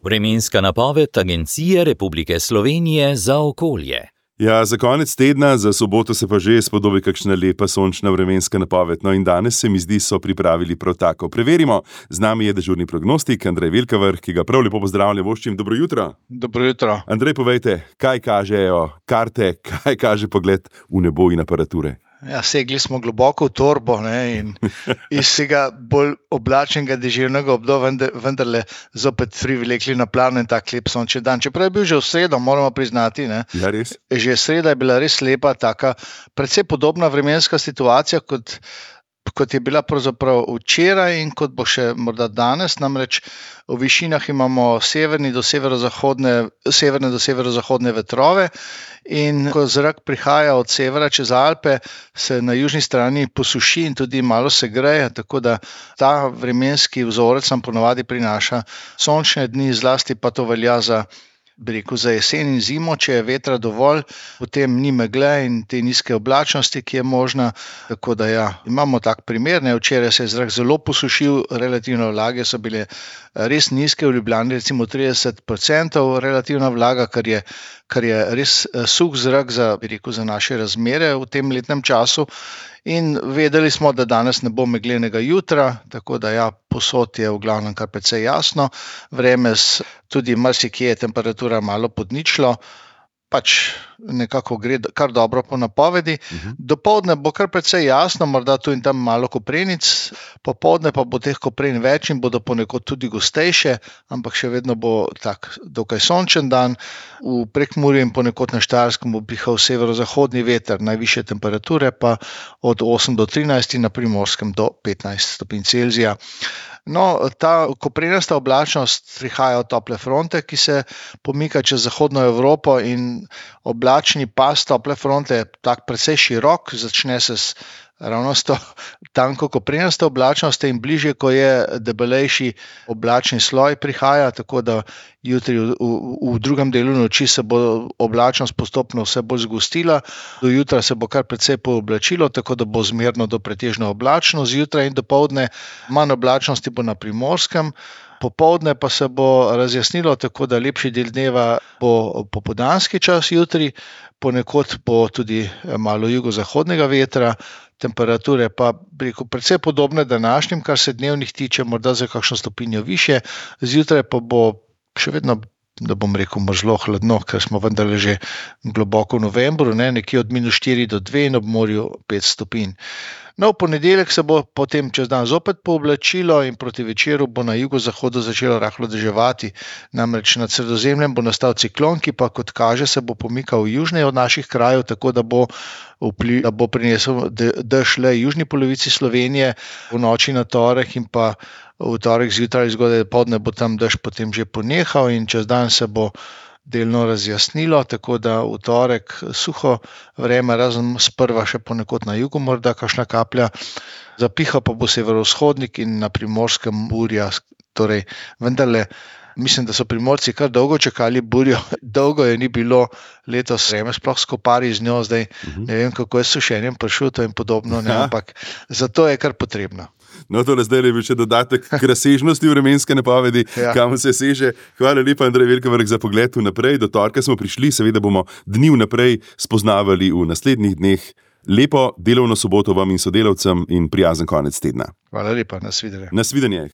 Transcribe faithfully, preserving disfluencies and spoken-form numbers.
Vremenska napoved Agencije Republike Slovenije za okolje. Ja, za konec tedna, za soboto se pa že spodobi kakšna lepa sončna vremenska napoved. No in danes se mi zdi, so pripravili prav tako. Preverimo, z nami je dežurni prognostik Andrej Vilkavrh, ki ga prav lepo pozdravljam, voščim. Dobro jutro. Dobro jutro. Andrej, povejte, kaj kažejo karte, kaj kaže pogled v nebo in aparature? Ja, segli smo globoko v torbo, ne, in iz tega bolj oblačnega deževnega obdobja vendarle zopet privlekli na plano in tak lep sončen dan. Čeprav je bil že v sredo, moramo priznati, ne. Ja, res. Že sreda je bila res lepa, taka precej podobna vremenska situacija, kot, kot je bila pravzaprav včeraj in kot bo še morda danes. Namreč v višinah imamo severni do severozahodne, severne do severozahodne vetrove. In ko zrak prihaja od severa čez Alpe, se na južni strani posuši in tudi malo se greje, tako da ta vremenski vzorec nam ponavadi prinaša sončne dni, zlasti pa to velja za, bi rekel, za jesen in zimo. Če je vetra dovolj, potem ni megle in te nizke oblačnosti, ki je možna. Tako da ja, imamo tak primer, ne, včeraj se je zrak zelo posušil, relativne vlage so bile res nizke, v Ljubljani recimo trideset procentov relativna vlaga, kar je kar je res suh zrak za, bi rekel, za naše razmere v tem letnem času. In vedeli smo, da danes ne bo meglenega jutra, tako da ja, povsod je v glavnem kar precej jasno. Vreme tudi marsikje je temperatura malo pod ničlo, pač nekako gre kar dobro po napovedi. Uh-huh. Dopoldne bo kar precej jasno, morda tu in tam malo koprenic, popoldne pa bo teh kopren več in bodo ponekod tudi gostejše, ampak še vedno bo tak dokaj sončen dan. V Prekmurju in ponekod na Štajerskem bo pihal severozahodni veter, najvišje temperature pa od osem do trinajst in na Primorskem do petnajst stopinj Celzija. No, ta koprenasta oblačnost prihaja od tople fronte, ki se pomika čez zahodno Evropo, in oblačni pas tople fronte je tak precej širok, začne se s ravno s to tanko koprenasta oblačnost in bližje, ko je debelejši oblačni sloj prihaja, tako da jutri v, v, v drugem delu noči se bo oblačnost postopno vse bolj zgostila, do jutra se bo kar precej pooblačilo, tako da bo zmerno do pretežno oblačno zjutraj in dopoldne, manj oblačnosti bo na Primorskem. Popoldne pa se bo razjasnilo, tako da lepši del dneva bo popoldanski čas jutri, ponekod bo tudi malo jugozahodnega vetra, temperature pa rekel, precej podobne današnjim, kar se dnevnih tiče, morda za kakšno stopinjo višje, zjutraj pa bo še vedno, da bom rekel, mrzlo hladno, ker smo vendarle že globoko v novembru, ne, nekje od minus štiri do dve in ob morju pet stopinj. No, v ponedeljek se bo potem čez dan zopet pooblačilo in proti večeru bo na jugozahodu začelo rahlo deževati. Namreč nad Sredozemljem bo nastal ciklon, ki pa, kot kaže, se bo pomikal južneje od naših krajev, tako da bo, vpli, da bo prinesel dež le južni polovici Slovenije v noči na torek in pa v torek zjutraj zgodaj poldne bo tam dež potem že ponehal in čez dan se bo delno razjasnilo, tako da v torek suho vreme, razen sprva še ponekod na jugu, morda kakšna kaplja, zapiha pa bo severovzhodnik in na Primorskem burja. Torej, vendarle, mislim, da so Primorci kar dolgo čakali burjo, dolgo je ni bilo letos vreme, sploh skopari z njo, zdaj ne vem, kako je s sušenjem pršutov in podobno, ne, ampak zato je kar potrebno. No, tole zdaj je bil še dodatek k razsežnosti vremenske napovedi, ja. Kam se seže. Hvala lepa, Andrej Vilkavrh, za pogled vnaprej. Do torka smo prišli, seveda bomo dni vnaprej spoznavali v naslednjih dneh. Lepo delovno soboto vam in sodelavcem in prijazen konec tedna. Hvala lepa, nasvidenje. Nasvidenje.